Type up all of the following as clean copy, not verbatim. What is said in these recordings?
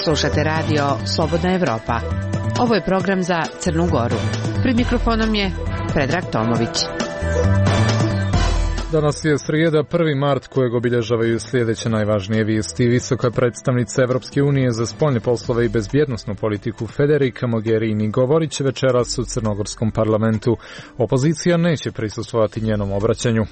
Slušate radio Slobodna Evropa. Ovo je program za Crnu Goru. Pred mikrofonom je Predrag Tomović. Danas je srijeda, 1. mart, kojeg obilježavaju sljedeće najvažnije vijesti. Visoka predstavnica Evropske unije za spoljne poslove i bezbjednosnu politiku Federica Mogherini govorit će večeras u crnogorskom parlamentu. Opozicija neće prisustvovati njenom obraćanju.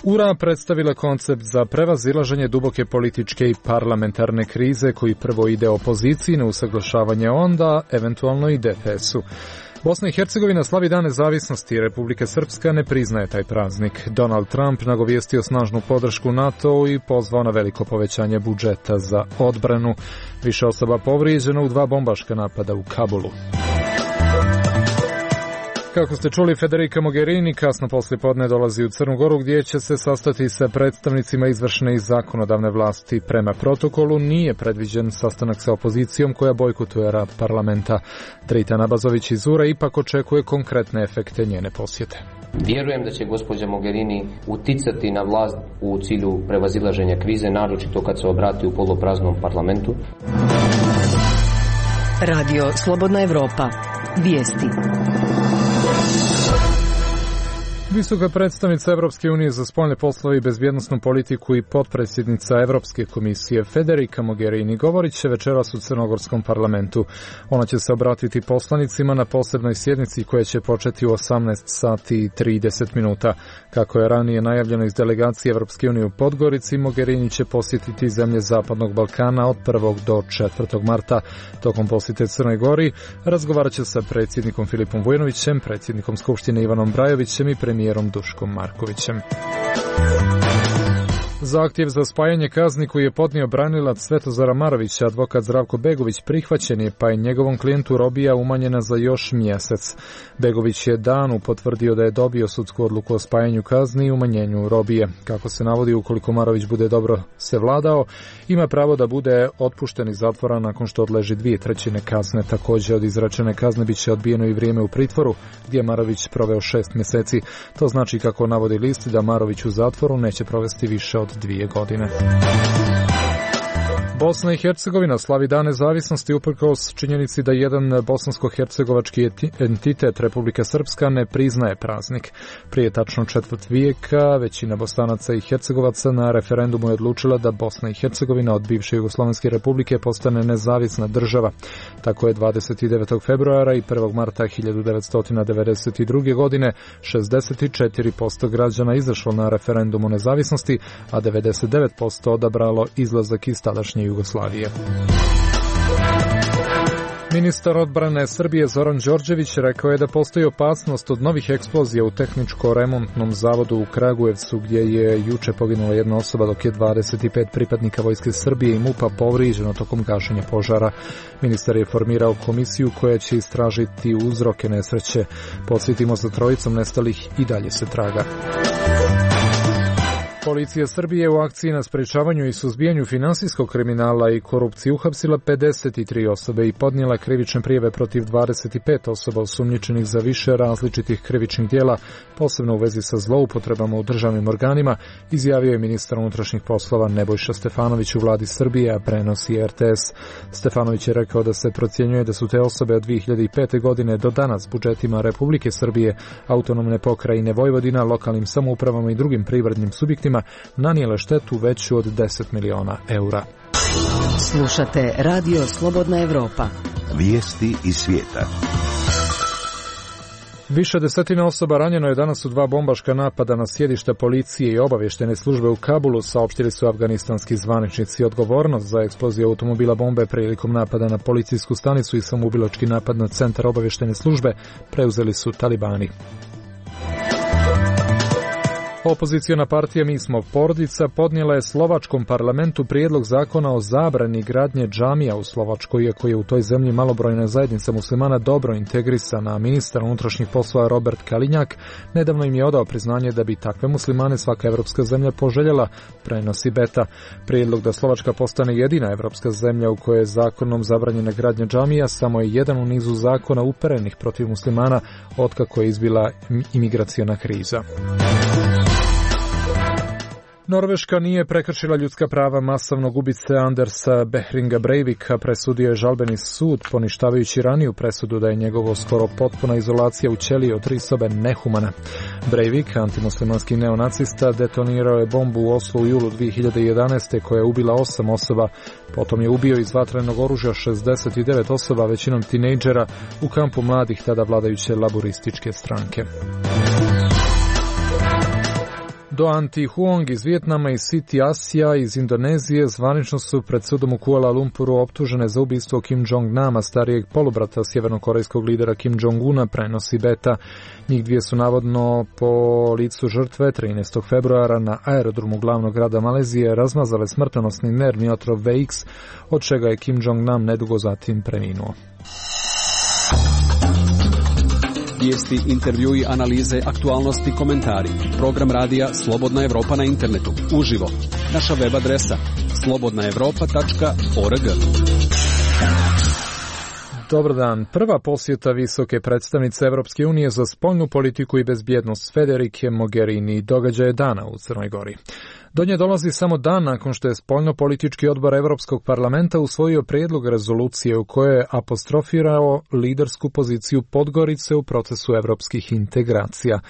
URA predstavila koncept za prevazilaženje duboke političke i parlamentarne krize koji prvo ide opoziciji na usaglašavanje, onda eventualno i DPS-u. Bosna i Hercegovina slavi Dan nezavisnosti, Republika Srpska ne priznaje taj praznik. Donald Trump nagovijestio snažnu podršku NATO i pozvao na veliko povećanje budžeta za odbranu. Više osoba povrijeđeno u 2 bombaška napada u Kabulu. Kako ste čuli, Federica Mogherini kasno poslijepodne dolazi u Crnu Goru gdje će se sastati sa predstavnicima izvršne i zakonodavne vlasti. Prema protokolu nije predviđen sastanak sa opozicijom koja bojkotuje rad parlamenta. Dritan Abazović iz URA ipak očekuje konkretne efekte njene posjete. Vjerujem da će gospođa Mogherini uticati na vlast u cilju prevazilaženja krize, naročito kad se obrati u polupraznom parlamentu. Radio Slobodna Evropa. Vijesti. Visoka predstavnica Evropske unije za spoljne poslove i bezbjednosnu politiku i potpredsjednica Evropske komisije Federica Mogherini govorit će večeras u crnogorskom parlamentu. Ona će se obratiti poslanicima na posebnoj sjednici koja će početi u 18 sati i 30 minuta. Kako je ranije najavljeno iz delegacije Evropske unije u Podgorici, Mogherini će posjetiti zemlje Zapadnog Balkana od 1. do 4. marta. Tokom posjete Crnoj Gori razgovarat će sa predsjednikom Filipom Vujanovićem, predsjednikom Skupštine Ivanom Brajovićem i premijerom Duškom Markovićem. Zahtjev za spajanje kazni koji je podnio branilac Svetozara Marovića, advokat Zdravko Begović, prihvaćen je, pa je njegovom klijentu robija umanjena za još mjesec. Begović je danu potvrdio da je dobio sudsku odluku o spajanju kazni i umanjenju robije. Kako se navodi, ukoliko Marović bude dobro se vladao, ima pravo da bude otpušten iz zatvora nakon što odleži 2/3 kazne. Također od izrečene kazne bit će odbijeno i vrijeme u pritvoru, gdje je Marović proveo 6 mjeseci. To znači, kako navodi list, da Marović u zatvoru neće provesti više od 2 godine. Bosna i Hercegovina slavi Dan nezavisnosti uprkos činjenici da jedan bosansko-hercegovački entitet Republika Srpska ne priznaje praznik. Prije tačno 4 vijeka većina Bosanaca i Hercegovaca na referendumu je odlučila da Bosna i Hercegovina od bivše Jugoslovenske republike postane nezavisna država. Tako je 29. februara i 1. marta 1992. godine 64% građana izašlo na referendum o nezavisnosti, a 99% odabralo izlazak iz tadašnje Jugoslavije. Ministar odbrane Srbije Zoran Đorđević rekao je da postoji opasnost od novih eksplozija u tehničko-remontnom zavodu u Kragujevcu, gdje je juče poginula jedna osoba, dok je 25 pripadnika Vojske Srbije i MUP-a povrijeđeno tokom gašenja požara. Ministar je formirao komisiju koja će istražiti uzroke nesreće. Podsjetimo, za trojicom nestalih i dalje se traga. Policija Srbije u akciji na sprečavanju i suzbijanju finansijskog kriminala i korupcije uhapsila 53 osobe i podnijela krivične prijave protiv 25 osoba osumnjičenih za više različitih krivičnih djela, posebno u vezi sa zloupotrebama u državnim organima, izjavio je ministar unutrašnjih poslova Nebojša Stefanović u vladi Srbije, a prenosi RTS. Stefanović je rekao da se procjenjuje da su te osobe od 2005. godine do danas budžetima Republike Srbije, autonomne pokrajine Vojvodina, lokalnim samoupravama i drugim privrednim subjektima nanijele štetu veću od 10 miliona eura. Slušate Radio Slobodna Evropa. Vijesti iz svijeta. Više desetina osoba ranjeno je danas u 2 bombaška napada na sjedišta policije i obavještajne službe u Kabulu, saopštili su afganistanski zvaničnici. Odgovornost za eksploziju automobila bombe prilikom napada na policijsku stanicu i samoubilački napad na centar obavještajne službe preuzeli su talibani. Opoziciona partija Mi smo porodica podnijela je slovačkom parlamentu prijedlog zakona o zabrani gradnje džamija u Slovačkoj, iako je u toj zemlji malobrojna zajednica muslimana dobro integrisana. Ministar unutrašnjih poslova Robert Kalinjak nedavno im je odao priznanje da bi takve muslimane svaka evropska zemlja poželjela, prenosi Beta. Prijedlog da Slovačka postane jedina evropska zemlja u kojoj je zakonom zabranjena gradnja džamija samo je jedan u nizu zakona uperenih protiv muslimana otkako je izbila imigraciona kriza. Norveška nije prekršila ljudska prava masovnog ubice Andersa Behringa Breivika, presudio je žalbeni sud, poništavajući raniju presudu da je njegovo skoro potpuna izolacija u ćeliji od 3 sobe nehumana. Breivik, antimuslimanski neonacista, detonirao je bombu u Oslu u julu 2011. koja je ubila 8 osoba, potom je ubio iz vatrenog oružja 69 osoba, većinom tinejdžera, u kampu mladih tada vladajuće laborističke stranke. Doan Thi Huong iz Vijetnama i Siti Asija iz Indonezije zvanično su pred sudom u Kuala Lumpuru optužene za ubistvo Kim Jong-nama, starijeg polubrata sjevernokorejskog lidera Kim Jong-una, prenosi Beta. Njih dvije su navodno po licu žrtve 13. februara na aerodromu glavnog grada Malezije razmazale smrtonosni nervni otrov VX, od čega je Kim Jong-nam nedugo zatim preminuo. Vijesti, intervjui, analize, aktualnosti, komentari. Program radija Slobodna Evropa na internetu. Uživo. Naša web adresa slobodnaevropa.org. Dobar dan. Prva posjeta visoke predstavnice Evropske unije za spoljnu politiku i bezbjednost Federike Mogherini događaje dana u Crnoj Gori. Do nje dolazi samo dan nakon što je spoljno-politički odbor Evropskog parlamenta usvojio prijedlog rezolucije u kojoj je apostrofirao lidersku poziciju Podgorice u procesu evropskih integracija.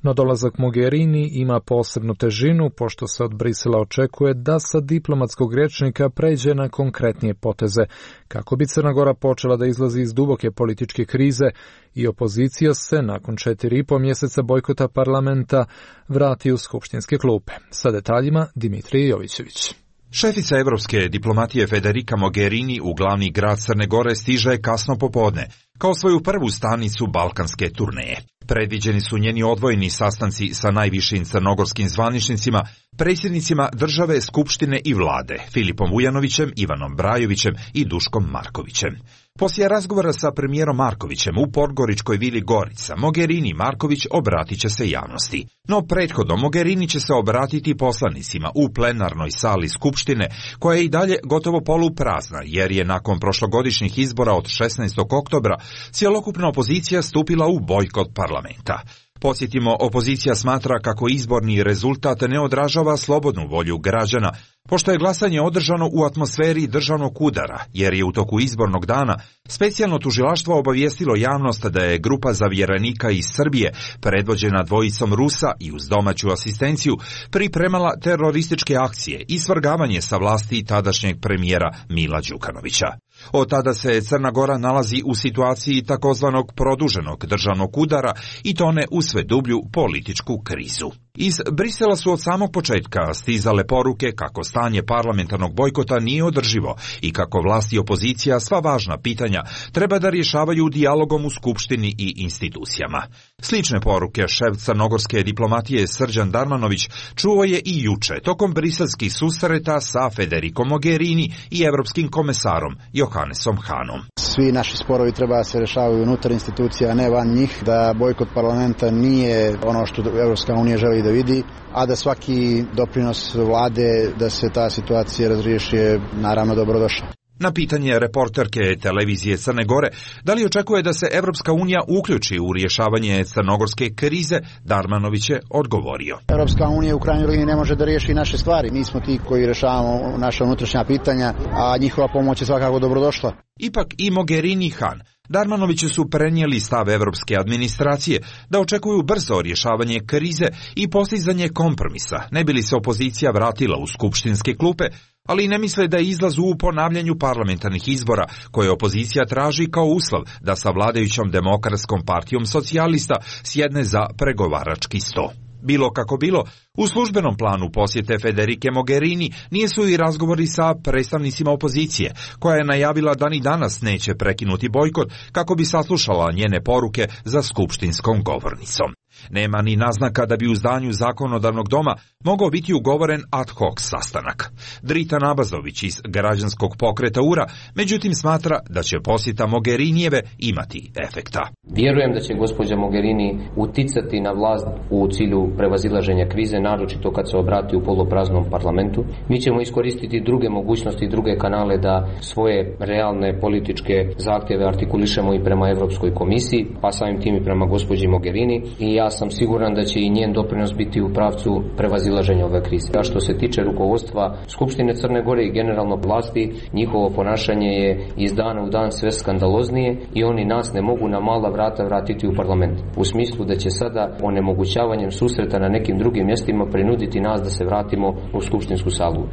No dolazak Mogherini ima posebnu težinu, pošto se od Brisela očekuje da sa diplomatskog rječnika pređe na konkretnije poteze, kako bi Crna Gora počela da izlazi iz duboke političke krize i opozicija se, nakon 4,5 mjeseca bojkota parlamenta, vrati u skupštinske klupe. Sa detaljima Dimitrij Jovićević. Šefica evropske diplomatije Federica Mogherini u glavni grad Crne Gore stiže kasno popodne, kao svoju prvu stanicu balkanske turneje. Predviđeni su njeni odvojeni sastanci sa najvišim crnogorskim zvaničnicima, predsjednicima države, skupštine i vlade, Filipom Vujanovićem, Ivanom Brajovićem i Duškom Markovićem. Poslije razgovora sa premijerom Markovićem u podgoričkoj vili Gorica, Mogherini Marković obratit će se javnosti. No prethodno Mogherini će se obratiti poslanicima u plenarnoj sali skupštine, koja je i dalje gotovo poluprazna, jer je nakon prošlogodišnjih izbora od 16. oktobra cjelokupna opozicija stupila u bojkot parlamenta. Podsjetimo, opozicija smatra kako izborni rezultat ne odražava slobodnu volju građana, pošto je glasanje održano u atmosferi državnog udara, jer je u toku izbornog dana specijalno tužilaštvo obavijestilo javnost da je grupa zavjerenika iz Srbije, predvođena dvojicom Rusa i uz domaću asistenciju, pripremala terorističke akcije i svrgavanje sa vlasti tadašnjeg premijera Mila Đukanovića. Od tada se Crna Gora nalazi u situaciji takozvanog produženog državnog udara i tone u sve dublju političku krizu. Iz Brisela su od samog početka stizale poruke kako stanje parlamentarnog bojkota nije održivo i kako vlast i opozicija sva važna pitanja treba da rješavaju dijalogom u skupštini i institucijama. Slične poruke šef crnogorske diplomatije Srđan Darmanović čuo je i juče tokom briselskih susreta sa Federicom Mogherini i evropskim komesarom Johannesom Hanom. Svi naši sporovi treba da se rješavaju unutar institucija, a ne van njih, da bojkot parlamenta nije ono što Evropska unija želi da vidi, a da svaki doprinos vlade da se ta situacija razriješi je naravno dobrodošao. Na pitanje reporterke televizije Crne Gore da li očekuje da se Evropska unija uključi u rješavanje crnogorske krize, Darmanović je odgovorio. Evropska unija u krajnjoj liniji ne može da riješi naše stvari. Mi smo ti koji rješavamo naša unutrašnja pitanja, a njihova pomoć je svakako dobrodošla. Ipak i Mogherini i Han Darmanoviću su prenijeli stav evropske administracije da očekuju brzo rješavanje krize i postizanje kompromisa, ne bi li se opozicija vratila u skupštinske klupe, ali ne misle da je izlaz u ponavljanju parlamentarnih izbora koje opozicija traži kao uslov da sa vladajućom Demokratskom partijom socijalista sjedne za pregovarački sto. Bilo kako bilo, u službenom planu posjete Federike Mogherini nisu i razgovori sa predstavnicima opozicije, koja je najavila da ni danas neće prekinuti bojkot kako bi saslušala njene poruke za skupštinskom govornicom. Nema ni naznaka da bi u zdanju zakonodavnog doma mogao biti ugovoren ad hoc sastanak. Drita Nabazović iz građanskog pokreta URA, međutim smatra da će posjeta Mogherinijeve imati efekta. Vjerujem da će gospođa Mogherini uticati na vlast u cilju prevazilaženja krize, naročito kad se obrati u polupraznom parlamentu. Mi ćemo iskoristiti druge mogućnosti i druge kanale da svoje realne političke zahtjeve artikulišemo i prema Europskoj komisiji, pa samim tim i prema gospođi Mogherini. I ja ja sam siguran da će i njen doprinos biti u pravcu prevazilaženja ove krize. A što se tiče rukovodstva Skupštine Crne Gore i generalno vlasti, njihovo ponašanje je iz dana u dan sve skandaloznije i oni nas ne mogu na mala vrata vratiti u parlament. U smislu da će sada onemogućavanjem susreta na nekim drugim mjestima prinuditi nas da se vratimo u skupštinsku salu.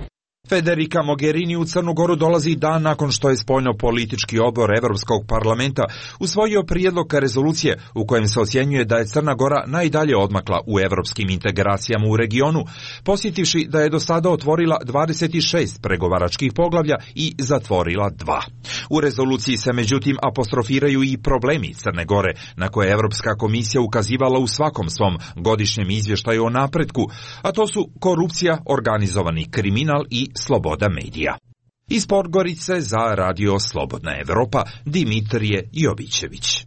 Federica Mogherini u Crnu Goru dolazi dan nakon što je spoljno-politički odbor Evropskog parlamenta usvojio prijedlog rezolucije u kojem se ocjenjuje da je Crna Gora najdalje odmakla u evropskim integracijama u regionu, posjetivši da je do sada otvorila 26 pregovaračkih poglavlja i zatvorila 2. U rezoluciji se međutim apostrofiraju i problemi Crne Gore, na koje Evropska komisija ukazivala u svakom svom godišnjem izvještaju o napretku, a to su korupcija, organizovani kriminal i sloboda medija. Iz Podgorice za Radio Slobodna Evropa, Dimitrije Jovićević.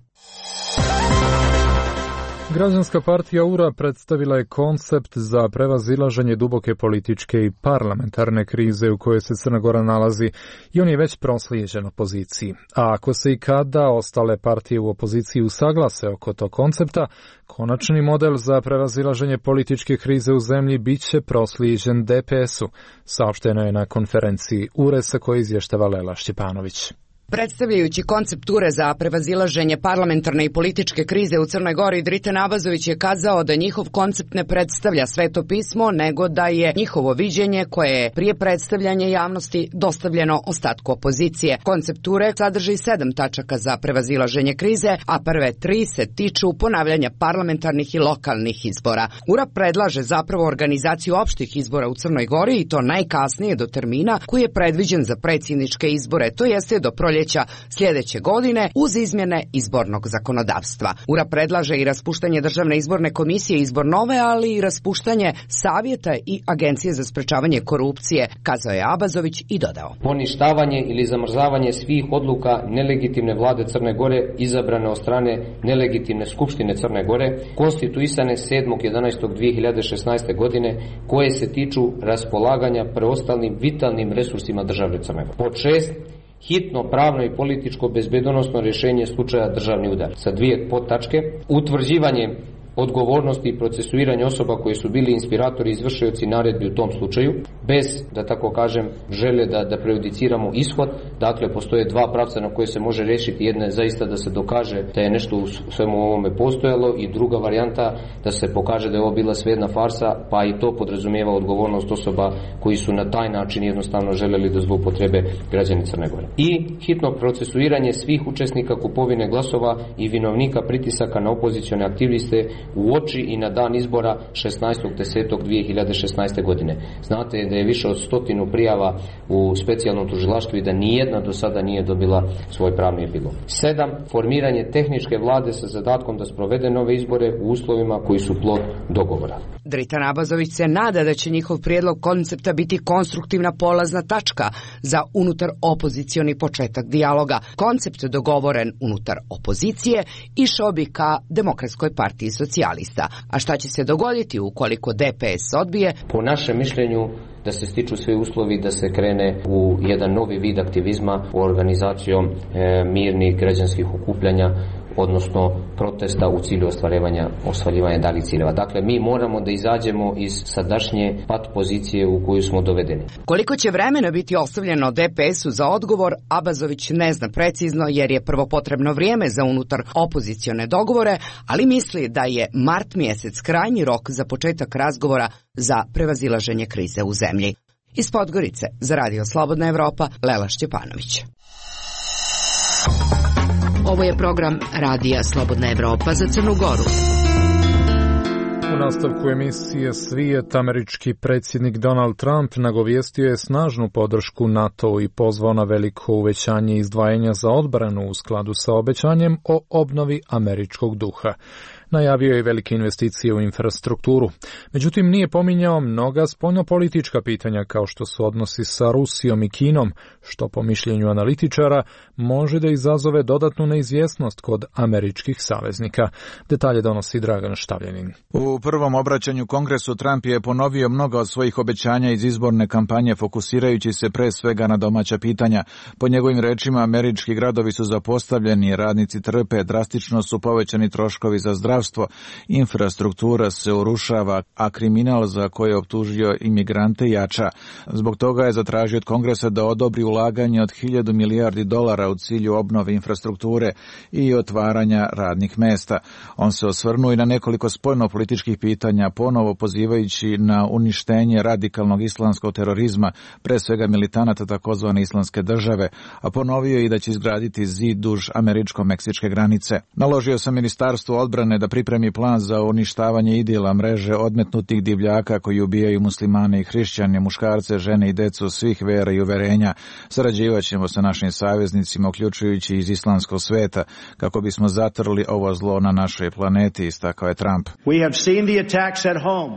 Građanska partija URA predstavila je koncept za prevazilaženje duboke političke i parlamentarne krize u kojoj se Crna Gora nalazi i on je već proslijeđen opoziciji. A ako se i kada ostale partije u opoziciji usaglase oko tog koncepta, konačni model za prevazilaženje političke krize u zemlji bit će proslijeđen DPS-u, saopšteno je na konferenciji URE sa koje izvještava Lela Šćepanović. Predstavljajući koncept URE za prevazilaženje parlamentarne i političke krize u Crnoj Gori, Dritan Abazović je kazao da njihov koncept ne predstavlja Sveto pismo, nego da je njihovo viđenje koje je prije predstavljanja javnosti dostavljeno ostatku opozicije. Koncept URE sadrži 7 tačaka za prevazilaženje krize, a prve 3 se tiču ponavljanja parlamentarnih i lokalnih izbora. URA predlaže zapravo organizaciju opštih izbora u Crnoj Gori i to najkasnije do termina koji je predviđen za predsjedničke izbore, to jeste do proljeća sljedeće godine uz izmjene izbornog zakonodavstva. URA predlaže i raspuštanje Državne izborne komisije i izbor nove, ali i raspuštanje Savjeta i Agencije za sprečavanje korupcije, kazao je Abazović i dodao. Poništavanje ili zamrzavanje svih odluka nelegitimne vlade Crne Gore izabrane od strane nelegitimne Skupštine Crne Gore, konstituisane 7.11.2016. godine, koje se tiču raspolaganja preostalim vitalnim resursima države Crne Gore. Pod 6. hitno pravno i političko bezbedonosno rješenje slučaja državni udar. Sa 2 podtačke, utvrđivanje odgovornosti i procesuiranje osoba koji su bili inspiratori i izvršioci naredbi u tom slučaju, bez, da tako kažem, žele da prejudiciramo ishod. Dakle, postoje 2 pravca na koje se može riješiti. Jedna je zaista da se dokaže da je nešto u svemu ovome postojalo i druga varijanta da se pokaže da je ovo bila svejedna farsa, pa i to podrazumijeva odgovornost osoba koji su na taj način jednostavno želeli da zloupotrebe građani Crne Gore. I hitno procesuiranje svih učesnika kupovine glasova i vinovnika pritisaka na opozicione aktiviste u oči i na dan izbora 16.10.2016. godine. Znate da je više od 100 prijava u specijalnom tužilaštvu i da nijedna do sada nije dobila svoj pravni epilog. 7. Formiranje tehničke vlade sa zadatkom da sprovede nove izbore u uslovima koji su plod dogovora. Dritan Abazović se nada da će njihov prijedlog koncepta biti konstruktivna polazna tačka za unutar opozicioni početak dijaloga. Koncept dogovoren unutar opozicije išao bi ka Demokratskoj partiji socijalista. A šta će se dogoditi ukoliko DPS odbije? Po našem mišljenju da se stiču svi uslovi da se krene u jedan novi vid aktivizma u organizacijom mirnih građanskih okupljanja, odnosno protesta u cilju ostvarivanja daljih ciljeva. Dakle, mi moramo da izađemo iz sadašnje pat pozicije u koju smo dovedeni. Koliko će vremena biti ostavljeno DPS-u za odgovor, Abazović ne zna precizno jer je prvo potrebno vrijeme za unutar opozicione dogovore, ali misli da je mart mjesec krajnji rok za početak razgovora za prevazilaženje krize u zemlji. Iz Podgorice za Radio Slobodna Evropa, Lela Šćepanović. Ovo je program Radija Slobodna Evropa za Crnu Goru. U nastavku emisije Svijet, američki predsjednik Donald Trump nagovijestio je snažnu podršku NATO-u i pozvao na veliko uvećanje izdvajanja za odbranu u skladu sa obećanjem o obnovi američkog duha. Najavio je velike investicije u infrastrukturu. Međutim, nije pominjao mnoga spoljnopolitička pitanja kao što su odnosi sa Rusijom i Kinom, što po mišljenju analitičara može da izazove dodatnu neizvjesnost kod američkih saveznika. Detalje donosi Dragan Štavljanin. U prvom obraćanju Kongresu Trump je ponovio mnoga od svojih obećanja iz izborne kampanje, fokusirajući se pre svega na domaća pitanja. Po njegovim rečima, američki gradovi su zapostavljeni, radnici trpe, drastično su povećani troškovi za zdravstvo, zdravstvo, infrastruktura se urušava, a kriminal za koje je optužio imigrante jača. Zbog toga je zatražio od Kongresa da odobri ulaganje od 1.000 milijardi dolara u cilju obnove infrastrukture i otvaranja radnih mesta. On se osvrnuo i na nekoliko spoljno-političkih pitanja, ponovo pozivajući na uništenje radikalnog islamskog terorizma, pre svega militanata takozvane islamske države, a ponovio i da će izgraditi zid duž američko-meksičke granice. Naložio sam Ministarstvu odbrane da pripremi plan za uništavanje idila mreže odmetnutih divljaka koji ubijaju muslimane i hrišćane, muškarce, žene i decu svih vera i uverenja. Sarađivat ćemo sa našim saveznicima, uključujući iz islamskog sveta, kako bismo zatrli ovo zlo na našoj planeti, istakao je Trump.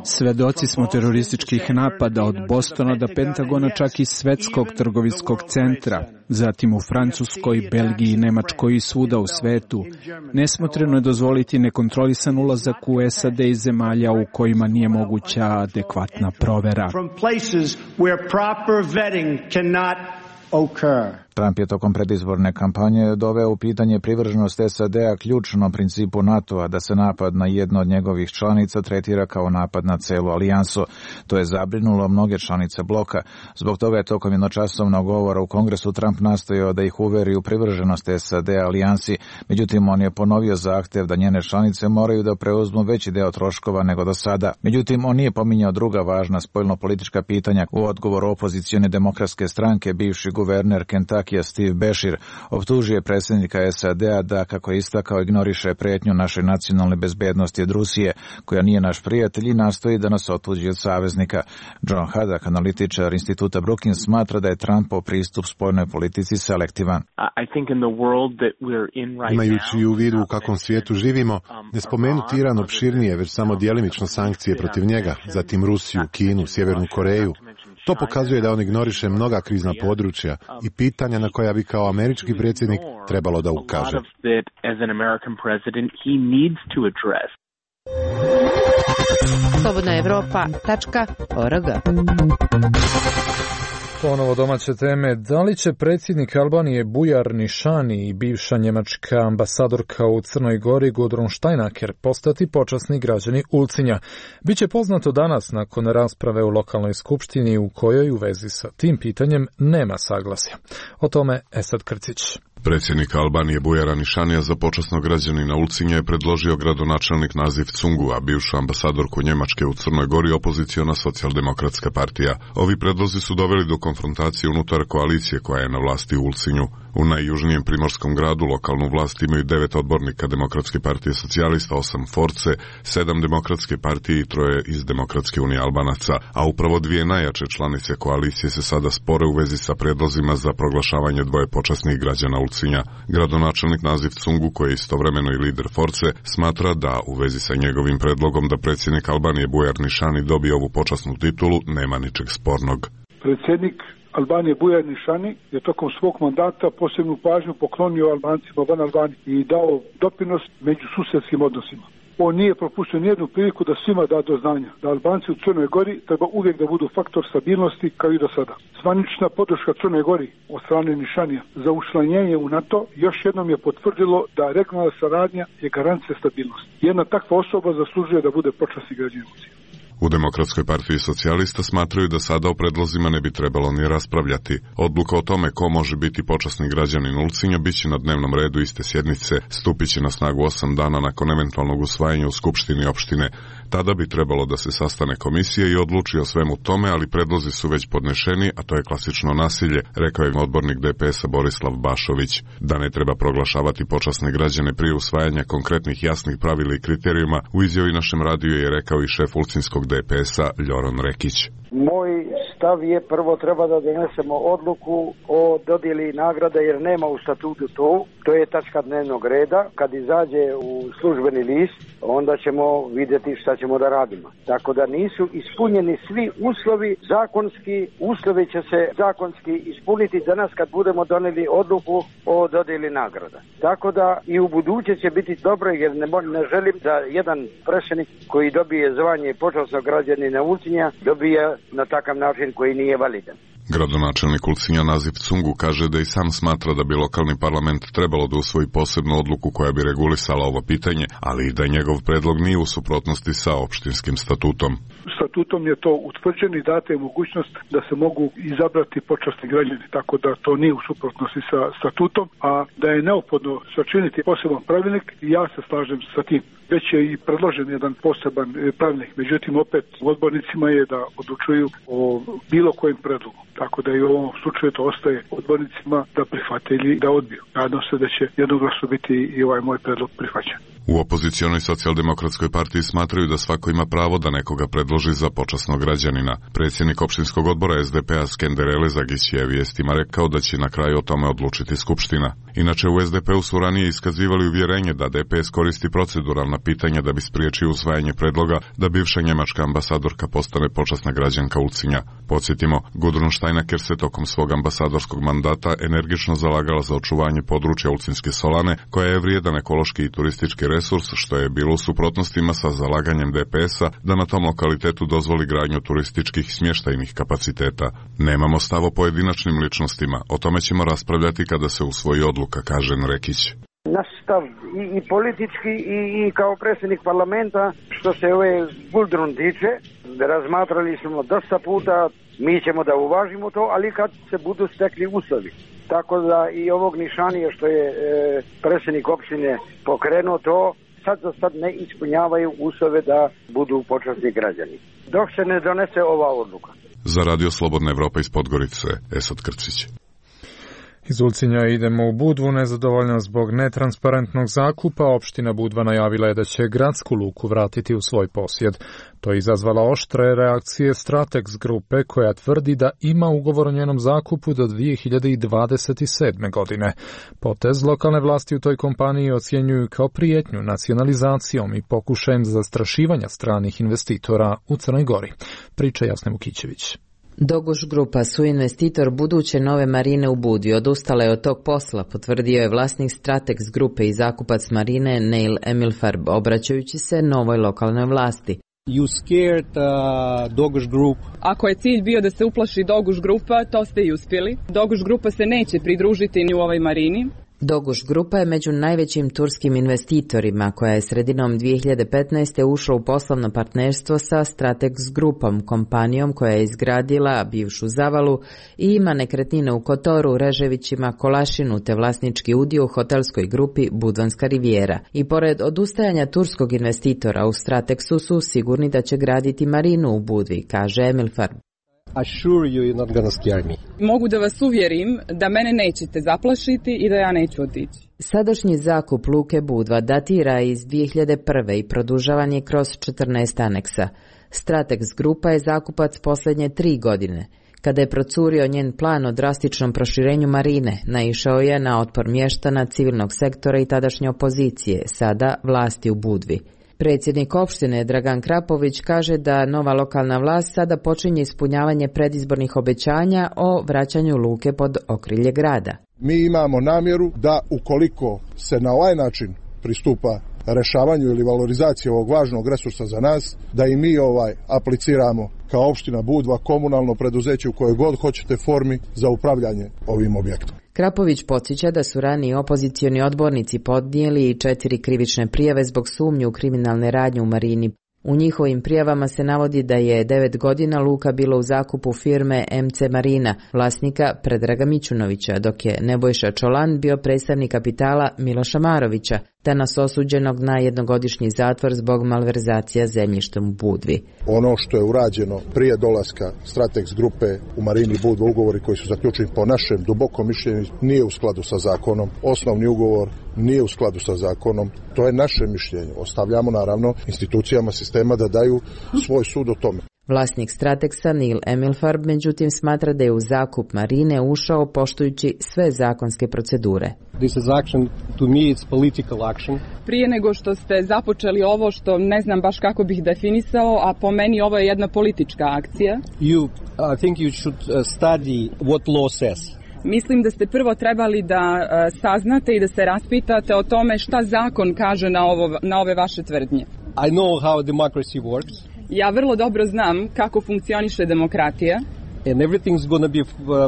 Svedoci smo terorističkih napada od Bostona do Pentagona, čak i Svetskog trgovinskog centra, zatim u Francuskoj, Belgiji, Nemačkoj i svuda u svetu. Nesmotreno je dozvoliti nekontrolisan ulazak u SAD i zemalja u kojima nije moguća adekvatna provera. Trump je tokom predizborne kampanje doveo u pitanje privrženost SAD-a ključnom principu NATO-a da se napad na jedno od njegovih članica tretira kao napad na celu alijansu. To je zabrinulo mnoge članice bloka. Zbog toga je tokom jednočasovnog govora u Kongresu Trump nastojao da ih uveri u privrženost SAD-a alijansi. Međutim, on je ponovio zahtev da njene članice moraju da preuzmu veći deo troškova nego do sada. Međutim, on nije pominjao druga važna spoljno-politička pitanja. U odgovoru opozicione demokratske stranke, bivši guverner Kentucky Steve Beshear optužio je predsjednika SAD-a da, kako je istakao, ignoriše pretnju naše nacionalne bezbednosti od Rusije, koja nije naš prijatelj i nastoji da nas otuđi od saveznika. John Haddock, analitičar instituta Brookings, smatra da je Trumpov pristup spoljnoj politici selektivan. Imajući u vidu u kakvom svijetu živimo, ne spomenuti Iran opširnije, već samo djelimično sankcije protiv njega, zatim Rusiju, Kinu, Sjevernu Koreju. To pokazuje da on ignoriše mnoga krizna područja i pitanja na koja bi kao američki predsjednik trebalo da ukaže. Slobodna Evropa.org. Ponovo domaće teme. Da li će predsjednik Albanije Bujar Nišani i bivša njemačka ambasadorka u Crnoj Gori Gudrun Steinaker postati počasni građani Ulcinja? Biće poznato danas nakon rasprave u lokalnoj skupštini u kojoj u vezi sa tim pitanjem nema saglasja. O tome Esad Krcić. Predsjednik Albanije Bujara Nišanija za počasnog građanina Ulcinja je predložio gradonačelnik Nazif Cungu, a bivšu ambasadorku Njemačke u Crnoj Gori opoziciona socijaldemokratska partija. Ovi predlozi su doveli do konfrontacije unutar koalicije koja je na vlasti u Ulcinju. U najjužnijem primorskom gradu lokalnu vlast imaju 9 odbornika Demokratske partije socijalista, 8 Force, 7 Demokratske partije i 3 iz Demokratske unije Albanaca, a upravo 2 najjače članice koalicije se sada spore u vezi sa predlozima za proglašavanje 2 počasnih građana Ulcinja. Gradonačelnik Nazif Cungu, koji je istovremeno i lider Force, smatra da u vezi sa njegovim predlogom da predsjednik Albanije Bujar Nišani dobije ovu počasnu titulu nema ničeg spornog. Predsjednik Albanije Bujar Nišani je tokom svog mandata posebnu pažnju poklonio Albancima van Albanije i dao doprinos među susjedskim odnosima. On nije propustio nijednu priliku da svima da do znanja da Albanci u Crnoj Gori treba uvijek da budu faktor stabilnosti kao i do sada. Zvanična podrška Crnoj Gori od strane Nišanija za učlanjenje u NATO još jednom je potvrdilo da regionalna saradnja je garancija stabilnosti. Jedna takva osoba zaslužuje da bude počasni građanin. U Demokratskoj partiji socijalista smatraju da sada o predlozima ne bi trebalo ni raspravljati. Odluka o tome ko može biti počasni građanin Ulcinja biće na dnevnom redu iste sjednice, stupit će na snagu 8 dana nakon eventualnog usvajanja u Skupštini opštine. Tada bi trebalo da se sastane komisija i odluči o svemu tome, ali predlozi su već podnešeni, a to je klasično nasilje, rekao je odbornik DPS-a Borislav Bašović. Da ne treba proglašavati počasne građane prije usvajanja konkretnih jasnih pravila i kriterijuma, u izjavi našem radiju je rekao i šef ulcinskog DPS-a Ljoran Rekić. Moj stav je prvo treba da donesemo odluku o dodjeli nagrada jer nema u statutu to je tačka dnevnog reda. Kad izađe u službeni list, onda ćemo vidjeti šta ćemo da radimo. Tako da nisu ispunjeni svi uslovi zakonski, uslovi će se zakonski ispuniti danas kad budemo doneli odluku o dodjeli nagrada. Tako da i u buduće će biti dobro jer ne želim da jedan prešenik koji dobije zvanje počasnog građanina Ulcinja dobije na takav način koji nije validan. Gradonačelnik Ulcinja Nazif Cungu kaže da i sam smatra da bi lokalni parlament trebalo da usvoji posebnu odluku koja bi regulisala ovo pitanje, ali i da njegov predlog nije u suprotnosti sa opštinskim statutom. Statutom je to utvrđeno i data je mogućnost da se mogu izabrati počasni građani, tako da to nije u suprotnosti sa statutom, a da je neophodno sačiniti poseban pravilnik i ja se slažem sa tim. Već je i predložen jedan poseban pravilnik, međutim opet odbornicima je da odlučuju o bilo kojem predlogu. Tako da i u ovom slučaju to ostaje odbornicima da prihvate ili da odbiju. Nadam se da će jednoglasno biti i ovaj moj predlog prihvaćen. U opozicionoj socijaldemokratskoj partiji smatraju da svako ima pravo da nekoga predloži za počasnog građanina. Predsjednik opštinskog odbora SDP-a Skender Elezagić je vijestima rekao da će na kraju o tome odlučiti Skupština. Inače, u SDP-u su ranije iskazivali uvjerenje da DPS koristi proceduralna pitanja da bi spriječio usvajanje predloga da bivša njemačka ambasadorka postane počasna građanka Ulcinja. Podsjetimo, Gudrun Steinaker se tokom svog ambasadorskog mandata energično zalagala za očuvanje područja Ulcinske solane, koja je vrijedan ekološki i turistički resurs, što je bilo u suprotnostima sa zalaganjem DPS-a da na tom lokalitetu dozvoli gradnju turističkih smještajnih kapaciteta. Nemamo stav o pojedinačnim ličnostima, o tome ćemo raspravljati kada se usvoji odluka, kaže Nrekić. Naš stav i politički i kao predsjednik parlamenta, što se ove Guldrun tiče, razmatrali smo dosta puta, mi ćemo da uvažimo to, ali kad se budu stekli uslovi. Tako da i ovog Nišanija što je predsjednik opštine pokrenuo to, sad ne ispunjavaju uslove da budu počasni građani. Dok se ne donese ova odluka. Za Radio Slobodna Evropa iz Podgorice, Esad Krcić. Iz Ulcinja idemo u Budvu. Nezadovoljna zbog netransparentnog zakupa, opština Budva najavila je da će gradsku luku vratiti u svoj posjed. To je izazvala oštre reakcije Stratex grupe koja tvrdi da ima ugovor o njenom zakupu do 2027. godine. Potez lokalne vlasti u toj kompaniji ocjenjuju kao prijetnju nacionalizacijom i pokušajem zastrašivanja stranih investitora u Crnoj Gori. Priča Jasne Vukićević. Doguš grupa su investitor buduće nove marine u Budvi. Odustala je od tog posla, potvrdio je vlasnik Stratex grupe i zakupac marine Neil Emilfarb, obraćajući se novoj lokalnoj vlasti. You scared Doguš Group. Ako je cilj bio da se uplaši Doguš grupa, to ste i uspjeli. Doguš grupa se neće pridružiti ni u ovoj marini. Doguš grupa je među najvećim turskim investitorima koja je sredinom 2015. ušla u poslovno partnerstvo sa Stratex grupom, kompanijom koja je izgradila bivšu Zavalu i ima nekretnine u Kotoru, Reževićima, Kolašinu te vlasnički udio u hotelskoj grupi Budvanska rivijera. I pored odustajanja turskog investitora u Stratexu su sigurni da će graditi marinu u Budvi, kaže Emilfarb. Mogu da vas uvjerim da mene nećete zaplašiti i da ja neću otići. Sadašnji zakup luke Budva datira iz 2001. i produžavan je kroz 14 aneksa. Stratex grupa je zakupac posljednje 3 godine. Kada je procurio njen plan o drastičnom proširenju marine, naišao je na otpor mještana, civilnog sektora i tadašnje opozicije, sada vlasti u Budvi. Predsjednik opštine Dragan Krapović kaže da nova lokalna vlast sada počinje ispunjavanje predizbornih obećanja o vraćanju luke pod okrilje grada. Mi imamo namjeru da ukoliko se na ovaj način pristupa rešavanju ili valorizaciji ovog važnog resursa za nas, da i mi apliciramo kao opština Budva komunalno preduzeće u kojoj god hoćete formi za upravljanje ovim objektom. Krapović podsjeća da su raniji opozicioni odbornici podnijeli 4 krivične prijave zbog sumnje u kriminalne radnje u marini. U njihovim prijavama se navodi da je 9 godina luka bila u zakupu firme MC Marina, vlasnika Predraga Mićunovića, dok je Nebojša Čolan bio predstavnik kapitala Miloša Marovića, danas osuđenog na jednogodišnji zatvor zbog malverzacija zemljištem u Budvi. Ono što je urađeno prije dolaska Stratex grupe u marini Budva, ugovori koji su zaključeni po našem dubokom mišljenju, nije u skladu sa zakonom. Osnovni ugovor nije u skladu sa zakonom. To je naše mišljenje. Ostavljamo naravno institucijama sistema da daju svoj sud o tome. Vlasnik Stratexa Neil Emilfarb međutim smatra da je u zakup marine ušao poštujući sve zakonske procedure. Prije nego što ste započeli ovo što ne znam baš kako bih definisao, a po meni ovo je jedna politička akcija. Mislim da ste prvo trebali da saznate i da se raspitate o tome šta zakon kaže na ove vaše tvrdnje. I know how democracy works. Ja vrlo dobro znam kako funkcioniše demokratija. And everything's going to be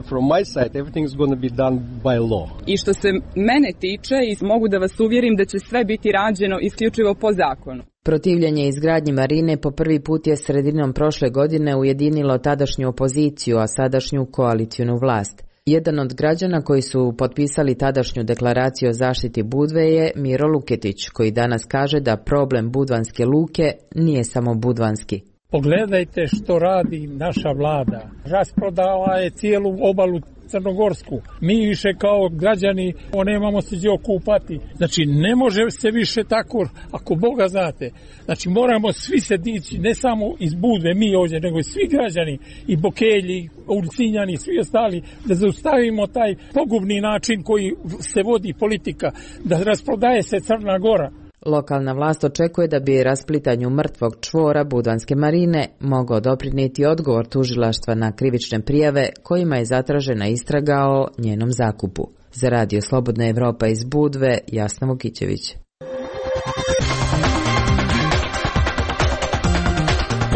from my side, everything's going to be done by law. I što se mene tiče, i mogu da vas uvjerim da će sve biti rađeno isključivo po zakonu. Protivljenje izgradnji marine po prvi put je sredinom prošle godine ujedinilo tadašnju opoziciju, a sadašnju koalicijnu vlast. Jedan od građana koji su potpisali tadašnju deklaraciju o zaštiti Budve je Miro Luketić, koji danas kaže da problem Budvanske luke nije samo budvanski. Pogledajte što radi naša vlada. Rasprodala je cijelu obalu crnogorsku. Mi više kao građani nemamo se gdje okupati. Znači ne može se više tako, ako Boga znate. Znači moramo svi se dići, ne samo iz Budve, mi ovdje, nego i svi građani, i Bokelji, Ulcinjani, svi ostali, da zaustavimo taj pogubni način koji se vodi politika, da rasprodaje se Crna Gora. Lokalna vlast očekuje da bi rasplitanju mrtvog čvora Budvanske marine mogao doprinijeti odgovor tužilaštva na krivične prijave kojima je zatražena istraga o njenom zakupu. Za Radio Slobodna Evropa iz Budve, Jasna Vukićević.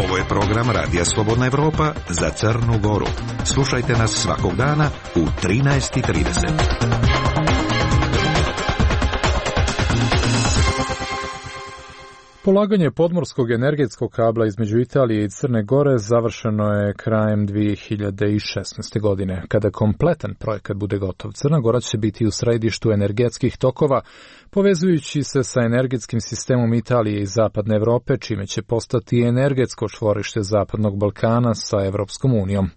Ovo je program Radija Slobodna Evropa za Crnu Goru. Slušajte nas svakog dana u 13:30. Polaganje podmorskog energetskog kabla između Italije i Crne Gore završeno je krajem 2016. godine. Kada kompletan projekat bude gotov, Crna Gora će biti u središtu energetskih tokova, povezujući se sa energetskim sistemom Italije i Zapadne Evrope, čime će postati energetsko čvorište Zapadnog Balkana sa Evropskom unijom.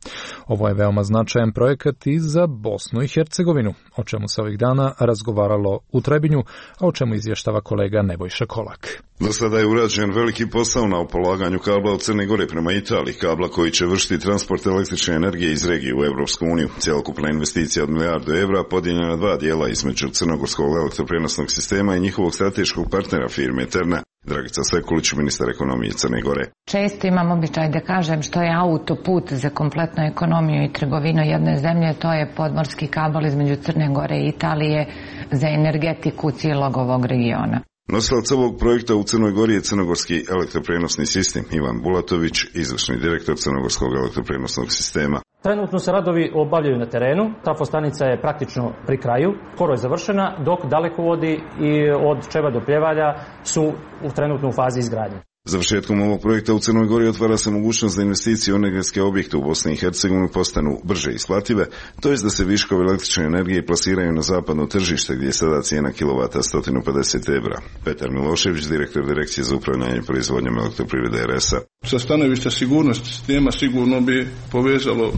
Ovo je veoma značajan projekat i za Bosnu i Hercegovinu, o čemu se ovih dana razgovaralo u Trebinju, a o čemu izvještava kolega Nebojša Kolak. Do sada je urađen veliki posao na polaganju kabla od Crne Gore prema Italiji, kabla koji će vršiti transport električne energije iz regije u Evropsku uniju. Cjelokupna investicija od €1.000.000 podijeljena na dva dijela između crnogorskog elektroprenosnog sistema i njihovog strateškog partnera firme Terna. Dragica Sekulić, ministar ekonomije Crne Gore. Često imam običaj da kažem što je autoput za kompletnu ekonomiju i trgovinu jedne zemlje, to je podmorski kabel između Crne Gore i Italije za energetiku cijelog ovog regiona. Nosilac ovog projekta u Crnoj Gori je crnogorski elektroprenosni sistem. Ivan Bulatović, izvršni direktor crnogorskog elektroprenosnog sistema. Trenutno se radovi obavljaju na terenu, trafostanica je praktično pri kraju, skoro je završena, dok dalekovodi i od Čeba do Pljevalja su trenutno u fazi izgradnje. Završetkom ovog projekta u Crnoj Gori otvara se mogućnost da investicije u energetske objekte u Bosni i Hercegovini postanu brže isplative, to jest da se viškovi električne energije plasiraju na zapadno tržište gdje je sada cijena kilovata €150. Petar Milošević, direktor Direkcije za upravljanje proizvodnjom elektroprivrede RS-a. Sa stanovišta sigurnosti sistema sigurno bi povezalo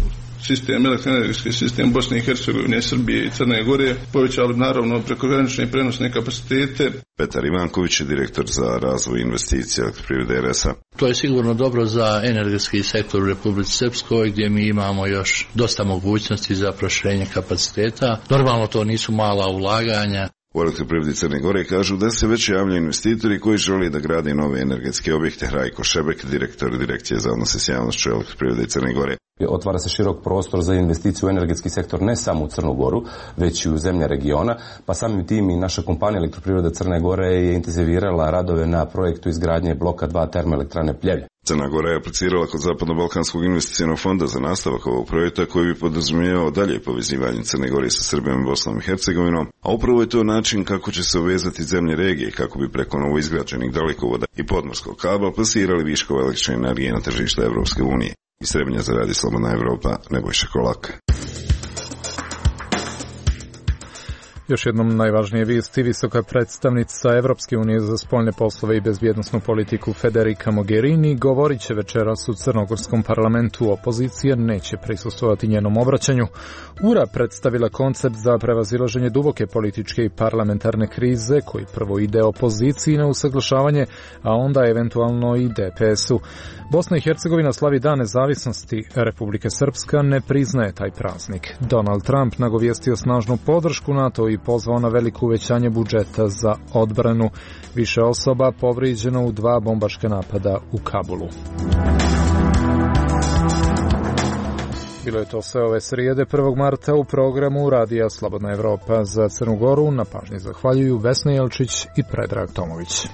sistem, elektroenergetski sistem Bosne i Hercegovine, Srbije i Crne Gore, povećali naravno prekogranične i prenosne kapacitete. Petar Ivanković je direktor za razvoj investicija elektroprivrede RS-a. To je sigurno dobro za energetski sektor u Republici Srpskoj, gdje mi imamo još dosta mogućnosti za proširenje kapaciteta. Normalno to nisu mala ulaganja. U elektroprivredi Crne Gore kažu da se već javljaju investitori koji žele da grade nove energetske objekte. Rajko Šebek, direktor Direkcije za odnose s javnošću elektroprivrede Crne Gore. Otvara se širok prostor za investiciju u energetski sektor ne samo u Crnu Goru, već i u zemlje regiona, pa samim tim i naša kompanija Elektroprivreda Crne Gore je intenzivirala radove na projektu izgradnje bloka 2 termoelektrane Pljevlje. Crna Gora je aplicirala kod Zapadno-Balkanskog investicionog fonda za nastavak ovog projekta koji bi podrazumijevao dalje povezivanje Crne Gore sa Srbijom i Bosnom i Hercegovinom, a upravo je to način kako će se uvezati zemlje regije kako bi preko novoizgrađenih dalekovoda i podmorskog kabla plasirali viškove električne energije na tržište Evropske unije. Iz Trebinja za Radio Slobodna Evropa, Nebojša Kolak. Još jednom najvažnije vijesti. Visoka predstavnica Evropske unije za spoljne poslove i bezbjednosnu politiku Federica Mogherini govorit će večeras u crnogorskom parlamentu. Opozicija neće prisustvovati njenom obraćanju. URA predstavila koncept za prevazilaženje duboke političke i parlamentarne krize koji prvo ide opoziciji na usaglašavanje, a onda eventualno i DPS-u. Bosna i Hercegovina slavi Dan nezavisnosti. Republike Srpska ne priznaje taj praznik. Donald Trump nagovijestio snažnu podršku NATO i pozvao na veliko uvećanje budžeta za odbranu. Više osoba povrijeđeno u 2 bombaška napada u Kabulu. Bilo je to sve ove srijede 1. marta u programu Radija Slobodna Evropa. Za Crnu Goru na pažnji zahvaljuju Vesna Jelčić i Predrag Tomović.